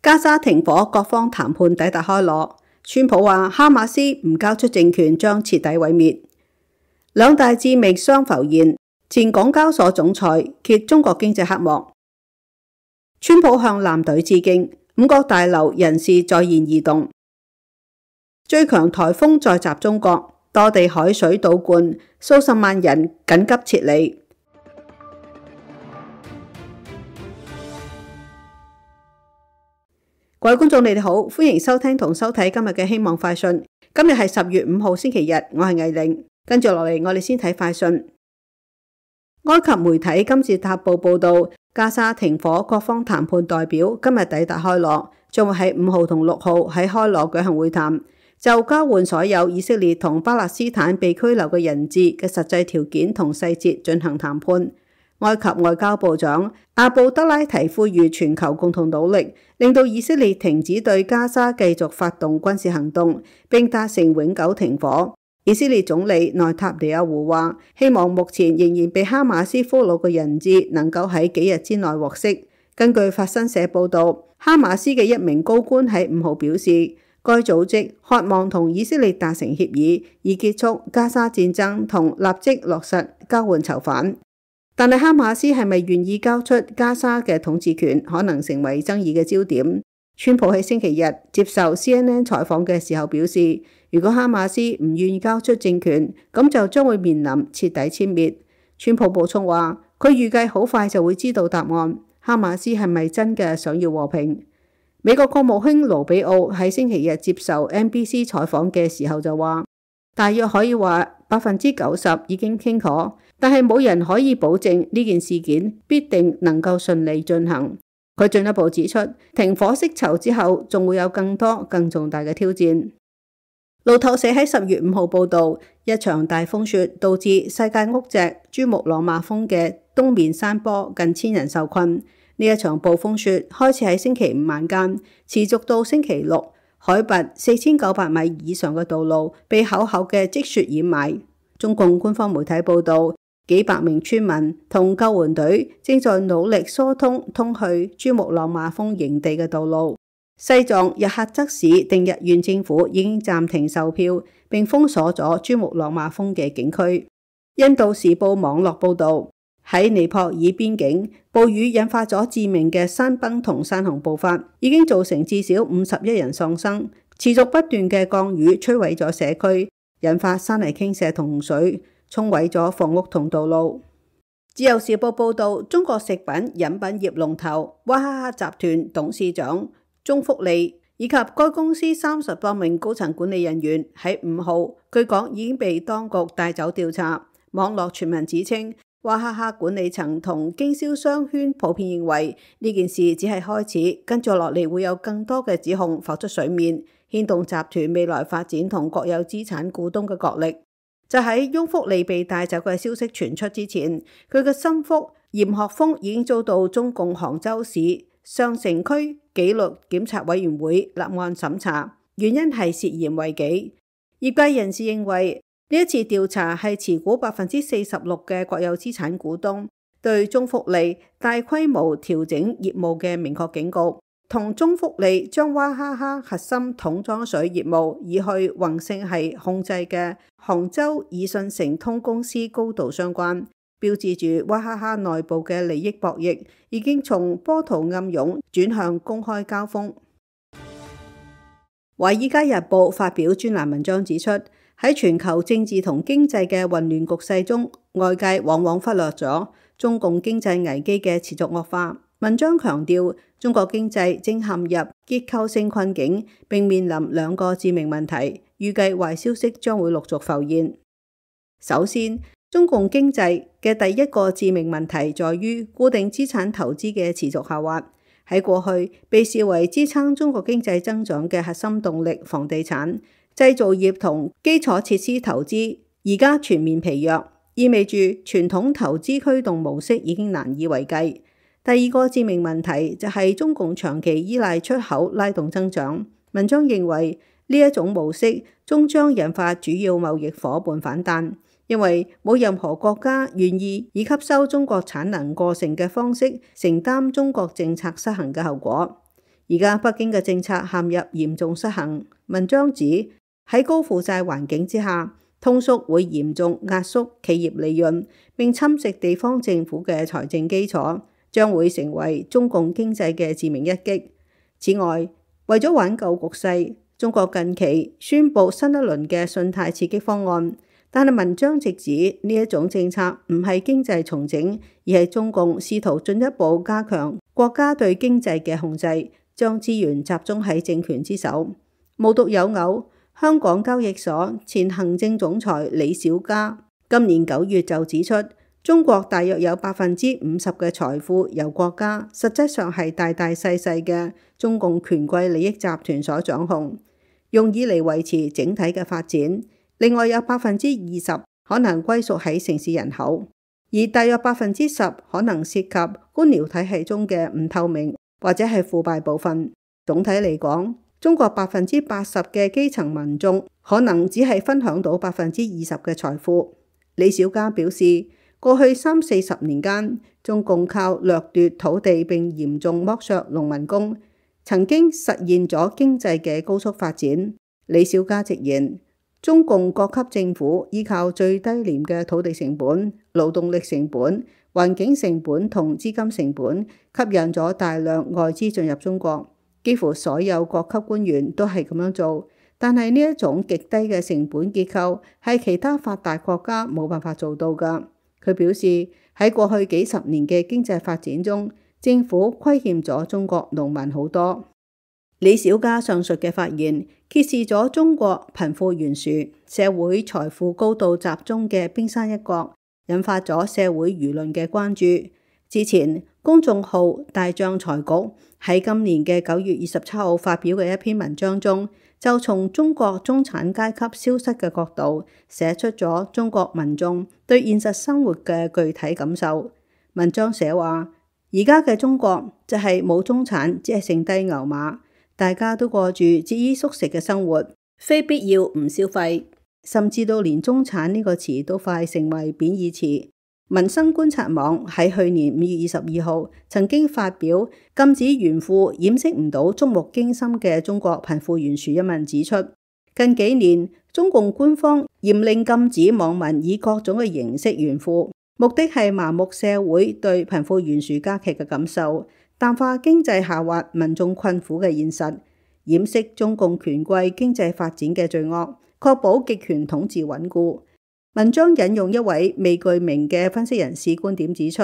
加沙停火，各方談判抵達開羅。川普話哈馬斯唔交出政權將徹底毀滅。兩大致命傷浮現，前港交所總裁揭中國經濟黑幕。川普向艦隊致敬，五角大樓人事再現異動。最強颱風再襲中國，多地海水倒灌，數十萬人緊急撤離。各位觀眾，你哋好，歡迎收聽同收睇今日嘅希望快訊。今日係10月5號星期日，我係藝玲。跟住落嚟，我哋先睇快訊。埃及媒體金字塔報報道，加沙停火，各方談判代表今日抵達開羅，將會喺5號同6號喺開羅舉行會談，就交換所有以色列同巴勒斯坦被拘留嘅人質嘅實際條件同細節進行談判。埃及外交部長阿布德拉提呼籲全球共同努力，令到以色列停止對加沙繼續發動軍事行動，並達成永久停火。以色列總理內塔尼亞胡話，希望目前仍然被哈馬斯俘虜嘅人質能夠喺幾日之內獲釋。根據法新社報道，哈馬斯嘅一名高官喺5號表示，該組織渴望同以色列達成協議，以結束加沙戰爭同立即落實交換囚犯。但係哈馬斯係咪願意交出加沙嘅統治權，可能成為爭議嘅焦點。川普喺星期日接受 CNN 採訪嘅時候表示，如果哈馬斯唔願意交出政權，咁就將會面臨徹底殲滅。川普補充話，佢預計好快就會知道答案，哈馬斯係咪真嘅想要和平。美國國務卿盧比奧喺星期日接受 NBC 採訪嘅時候就話，大約可以話90%已經傾妥，但係冇人可以保證呢件事件必定能夠順利進行。佢進一步指出，停火釋囚之後，仲會有更多更重大嘅挑戰。路透社喺10月5號報道，一場大風雪導致世界屋脊珠穆朗瑪峰嘅東面山坡近1000人受困。呢一場暴風雪開始喺星期5晚間，持續到星期六，海拔4900米以上嘅道路被厚厚嘅積雪掩埋。中共官方媒體報道，幾百名村民同救援隊正在努力疏通去珠穆朗瑪峰營地嘅道路。西藏日喀則市定日縣政府已經暫停售票，並封鎖咗珠穆朗瑪峰嘅景區。印度時報網絡報道，喺尼泊爾邊境，暴雨引發咗致命嘅山崩同山洪暴發，已經造成至少51人喪生。持續不斷嘅降雨摧毀咗社區，引發山泥傾瀉同洪水，沖毀咗房屋同道路。自由時報報道，中國食品飲品業龍頭娃哈哈集團董事長鍾福利以及該公司30多名高層管理人員喺5號據講已經被當局帶走調查。網絡傳聞指稱，娃哈哈管理層同經銷商圈普遍認為呢件事只係開始，跟住落嚟會有更多嘅指控浮出水面，牽動集團未來發展同國有資產股東嘅角力。就喺翁福利被帶走嘅消息傳出之前，佢嘅心腹嚴學鋒已經遭到中共杭州市上城區紀律檢察委員會立案審查，原因係涉嫌違紀。業界人士認為呢一次調查係持股46%嘅國有資產股東對鍾福利大規模調整業務嘅明確警告，同鍾福利將娃哈哈核心桶裝水業務移去宏盛系控制嘅杭州以信誠通公司高度相關，標誌住娃哈哈內部嘅利益博弈已經從波濤暗湧轉向公開交鋒。華爾街日報發表專欄文章指出，喺全球政治同經濟嘅混亂局勢中，外界往往忽略咗中共經濟危機嘅持續惡化。文章強調，中國經濟正陷入結構性困境，並面臨2個致命問題，預計壞消息將會陸續浮現。首先，中共經濟嘅第一個致命問題在於固定資產投資嘅持續下滑。喺過去，被視為支撐中國經濟增長嘅核心動力房地產、製造業同基礎設施投資，而家全面疲弱，意味住傳統投資驅動模式已經難以為繼。第二個致命問題就係中共長期依賴出口拉動增長。文章認為呢一種模式終將引發主要貿易夥伴反彈，因為冇任何國家願意以吸收中國產能過剩嘅方式承擔中國政策失衡嘅後果。而家北京嘅政策陷入嚴重失衡。文章指喺高負債環境之下，通縮會嚴重壓縮企業利潤，並侵蝕地方政府嘅財政基礎，將會成為中共經濟嘅致命一擊。此外，為咗挽救局勢，中國近期宣布新一輪嘅信貸刺激方案，但係文章直指呢一種政策唔係經濟重整，而係中共試圖進一步加強國家對經濟嘅控制，將資源集中喺政權之手。無獨有偶，香港交易所前行政總裁李小加今年9月就指出，中國大約有50%嘅財富由國家，實際上係大大細細嘅中共權貴利益集團所掌控，用以嚟維持整體嘅發展。另外有20%可能歸屬喺城市人口，而大約10%可能涉及官僚體系中嘅唔透明或者係腐敗部分。總體嚟講，中國80%嘅基層民眾可能只係分享到20%嘅財富。李小加表示，過去30-40年間，中共靠掠奪土地並嚴重剝削農民工，曾經實現咗經濟嘅高速發展。李小加直言，中共各級政府依靠最低廉嘅土地成本、勞動力成本、環境成本同資金成本，吸引咗大量外資進入中國。幾乎所有各級官員都係咁樣做，但係呢一種極低嘅成本結構係其他發達國家冇辦法做到㗎。佢表示，喺過去幾十年嘅經濟發展中，政府虧欠咗中國農民好多。李小加上述嘅發言揭示咗中國貧富懸殊、社會財富高度集中嘅冰山一角，引發咗社會輿論嘅關注。之前公眾號大帳財局喺今年嘅9月27號發表嘅一篇文章中，就從中國中產階級消失嘅角度，寫出咗中國民眾對現實生活嘅具體感受。文章寫話，而家嘅中國就係冇中產，只係剩低牛馬，大家都過住節衣縮食嘅生活，非必要唔消費，甚至到連中產呢個詞都快成為貶義詞。民生觀察網喺去年5月22號曾經發表禁止炫富掩飾唔到觸目驚心嘅中國貧富懸殊一文，指出近幾年中共官方嚴令禁止網民以各種嘅形式炫富，目的係麻木社會對貧富懸殊加劇嘅感受，淡化經濟下滑民眾困苦嘅現實，掩飾中共權貴經濟發展嘅罪惡，確保極權統治穩固。文章引用一位未具名嘅分析人士觀點指出，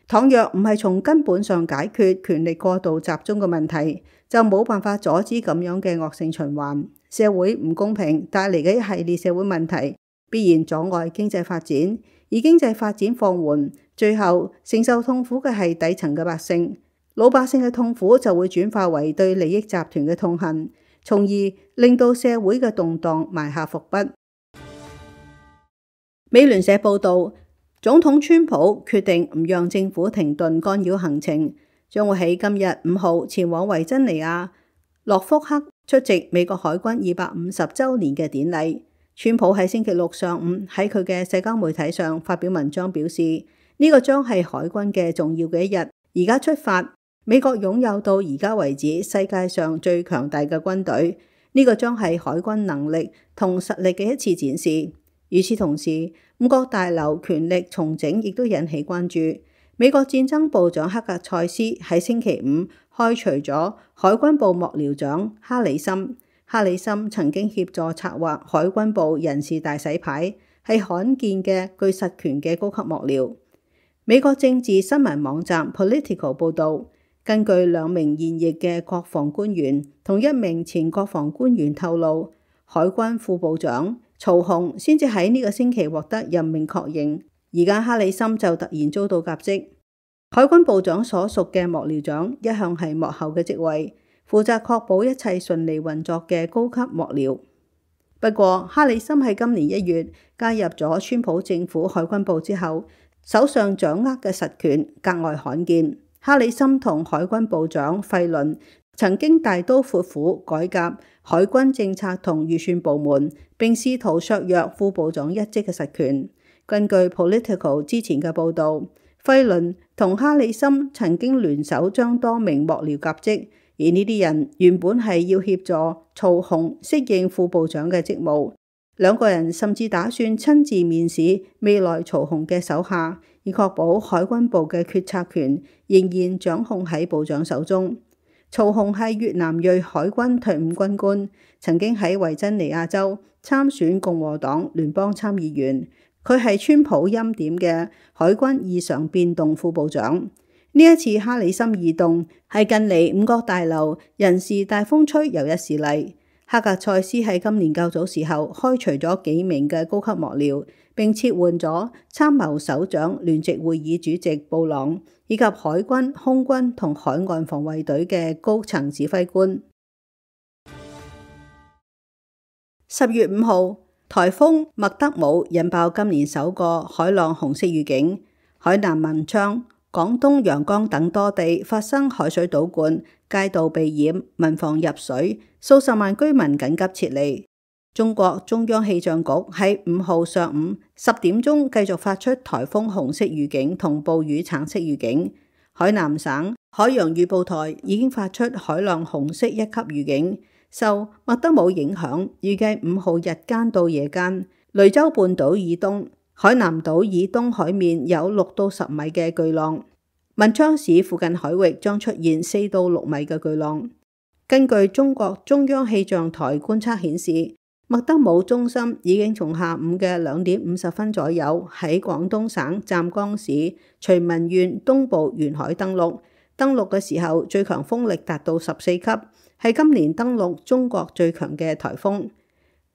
倘若唔係從根本上解決權力過度集中嘅問題，就冇辦法阻止咁樣嘅惡性循環。社會唔公平帶嚟嘅一系列社會問題，必然阻礙經濟發展，而經濟發展放緩，最後承受痛苦嘅係底層嘅百姓。老百姓嘅痛苦就會轉化為對利益集團嘅痛恨，從而令到社會嘅動盪埋下伏筆。美聯社報道，總統川普決定唔讓政府停頓干擾行程，將會喺今日5號前往維珍尼亞諾福克出席美國海軍250週年嘅典禮。川普喺星期六上午喺佢嘅社交媒體上發表文章，表示呢個將係海軍嘅重要嘅一日。而家出發，美國擁有到而家為止世界上最強大嘅軍隊，呢個將係海軍能力同實力嘅一次展示。與此同時，五角大樓權力重整亦都引起關注。美國戰爭部長克格塞斯喺星期5開除咗海軍部幕僚長哈里森。哈里森曾經協助策劃海軍部人事大洗牌，係罕見嘅具實權嘅高級幕僚。美國政治新聞網站 Politico 報導，根據2名現役嘅國防官員同1名前國防官員透露，海軍副部長曹洪先至喺呢個星期獲得任命確認，而家哈里森就突然遭到革職。海軍部長所屬嘅幕僚長一向係幕後嘅職位，負責確保一切順利運作嘅高級幕僚。不過，哈里森喺今年1月加入咗川普政府海軍部之後，手上掌握嘅實權格外罕見。哈里森同海軍部長費倫曾經大刀闊斧改革海軍政策同預算部門，並試圖削弱副部長一職嘅實權。根據 Politico 之前嘅報導，費倫同哈里森曾經聯手將多名幕僚革職，而呢啲人原本係要協助曹洪適應副部長嘅職務，兩個人甚至打算親自面試未來曹洪嘅手下，以確保海軍部嘅決策權仍然掌控喺部長手中。曹洪係越南裔海軍退伍軍官，曾經喺維珍尼亞州參選共和黨聯邦參議員。佢係川普欽點嘅海軍異常變動副部長。呢一次哈里森異動係近嚟五角大樓人事大風吹又一事例。哈格塞斯喺今年較早時候開除咗幾名嘅高級幕僚，並撤換咗參謀首長聯席會議主席布朗，以及海軍、空軍同海岸防衛隊嘅高層指揮官。10月5號，颱風麥德姆引爆今年首個海浪紅色預警，海南文昌、廣東陽江等多地發生海水倒灌，街道被淹，民房入水，數十萬居民緊急撤離。中國中央氣象局喺5號上午10點鐘繼續發出颱風紅色預警同暴雨橙色預警。海南省海洋預報台已經發出海浪紅色1級預警。受麥德姆影響，預計5號日間到夜間，雷州半島以東、海南島以東海面有6到10米嘅巨浪，文昌市附近海域將出現4到6米嘅巨浪。根據中國中央氣象台觀測顯示，麥德姆中心已經從下午嘅2點50分左右喺廣東省湛江市徐聞縣東部沿海登陸。登陸嘅時候，最強風力達到14級，係今年登陸中國最強嘅颱風。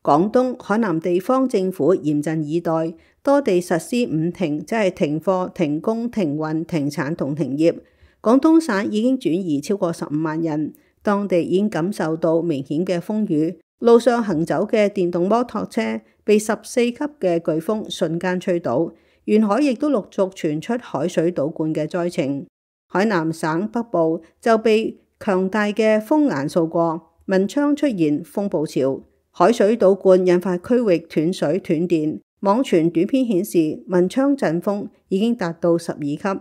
廣東、海南地方政府嚴陣以待，多地實施5停，即係停課、停工、停運、停產同停業。廣東省已經轉移超過15萬人，當地已經感受到明顯嘅風雨，路上行走嘅電動摩托車被14級嘅颶風瞬間吹倒，沿海亦都陸續傳出海水倒灌嘅災情。海南省北部就被強大嘅風眼掃過，文昌出現風暴潮，海水倒灌引發區域斷水斷電。網傳短片顯示文昌陣風已經達到12級，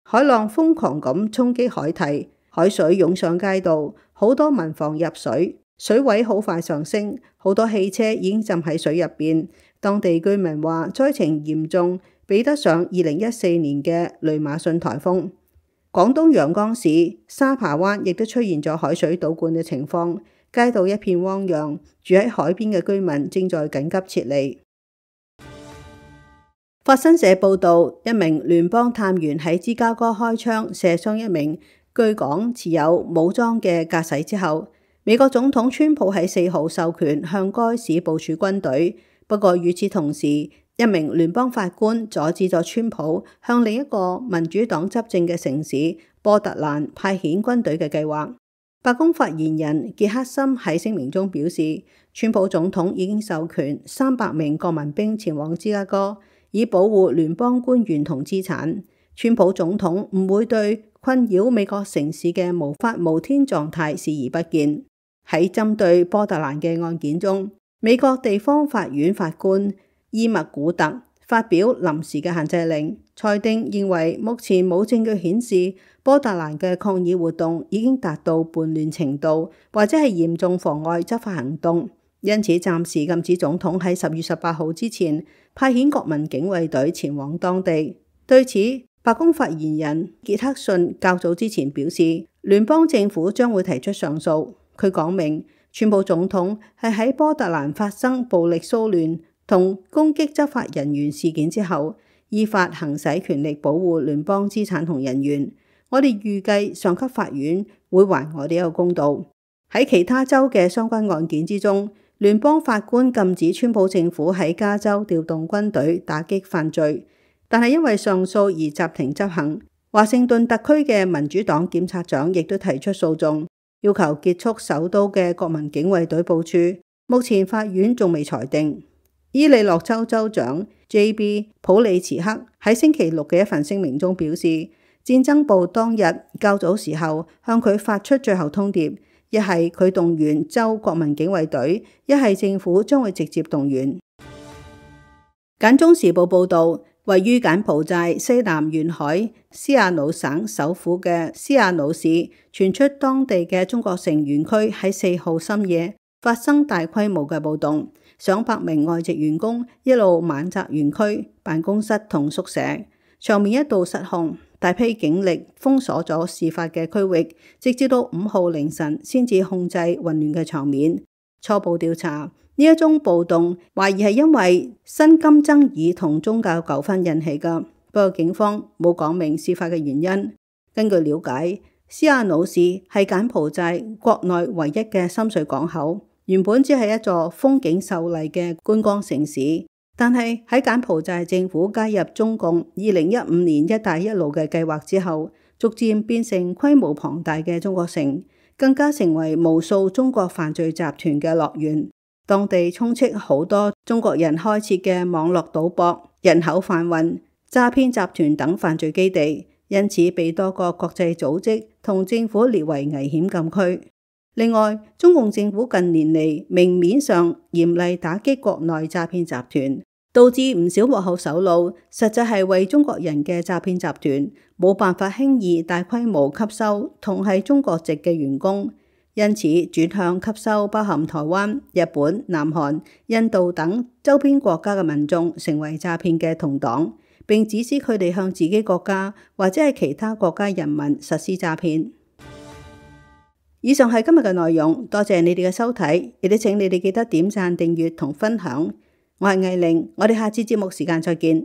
海浪瘋狂咁衝擊海堤，海水湧上街道，好多民房入水，水位好快上升，好多汽車已經浸喺水入邊。當地居民話災情嚴重，比得上2014年嘅雷馬遜颱風。廣東陽江市沙扒灣亦都出現咗海水倒灌嘅情況，街道一片汪洋，住喺海邊嘅居民正在緊急撤離。法新社報道，一名聯邦探員喺芝加哥開槍射傷一名據講持有武裝嘅駕駛之後，美國總統川普喺4號授權向該市部署軍隊。不過與此同時，一名聯邦法官阻止咗川普向另一個民主黨執政嘅城市波特蘭派遣軍隊嘅計劃。白宮發言人傑克森喺聲明中表示，川普總統已經授權300名國民兵前往芝加哥，以保護聯邦官員同資產。川普總統唔會對困擾美國城市嘅無法無天狀態視而不見。喺針對波特蘭嘅案件中，美國地方法院法官伊默古特發表臨時嘅限制令，裁定認為目前冇證據顯示波特蘭嘅抗議活動已經達到叛亂程度，或者係嚴重妨礙執法行動，因此暫時禁止總統喺10月18號之前派遣國民警衛隊前往當地。對此，白宮發言人傑克遜較早之前表示，聯邦政府將會提出上訴。佢講明，川普總統係喺波特蘭發生暴力騷亂同攻擊執法人員事件之後，依法行使權力保護聯邦資產同人員。我哋預計上級法院會還我哋一個公道。喺其他州嘅相關案件之中，聯邦法官禁止川普政府喺加州調動軍隊打擊犯罪，但係因為上訴而暫停執行。華盛頓特區嘅民主黨檢察長亦都提出訴訟，要求結束首都嘅國民警衛隊部署。目前法院仲未裁定。伊利諾州州長 J.B. 普里茨克喺星期六嘅一份聲明中表示，戰爭部當日較早時候向佢發出最後通牒，一係佢動員州國民警衛隊，一係政府將會直接動員。簡中時報報道，位於柬埔寨西南沿海斯亞努省首府嘅斯亞努市，傳出當地嘅中國城園區喺4號深夜發生大規模嘅暴動，上百名外籍員工一路猛襲園區辦公室同宿舍，場面一度失控，大批警力封鎖咗事發嘅區域，直至到5號凌晨先至控制混亂嘅場面。初步調查，呢一宗暴動懷疑係因為薪金爭議同宗教糾紛引起㗎，不過警方冇講明事發嘅原因。根據了解，斯亞努市係柬埔寨國內唯一嘅深水港口，原本只係一座風景秀麗嘅觀光城市，但係喺柬埔寨政府加入中共2015年一帶一路嘅計劃之後，逐漸變成規模龐大嘅中國城，更加成為無數中國犯罪集團嘅樂園。當地充斥好多中國人開設嘅網絡賭博、人口販運、詐騙集團等犯罪基地，因此被多個國際組織同政府列為危險禁區。另外，中共政府近年嚟明面上嚴厲打擊國內詐騙集團，導致唔少幕後首腦實際係為中國人嘅詐騙集團，冇辦法輕易大規模吸收同係中國籍嘅員工。因此轉向吸收包含台灣、日本、南韓、印度等周邊國家嘅民眾，成為詐騙嘅同黨，並指使佢哋向自己國家或者係其他國家人民實施詐騙。以上係今日嘅內容，多謝你哋嘅收睇，亦都請你哋記得點讚、訂閱同分享。我係藝玲，我哋下次節目時間再見。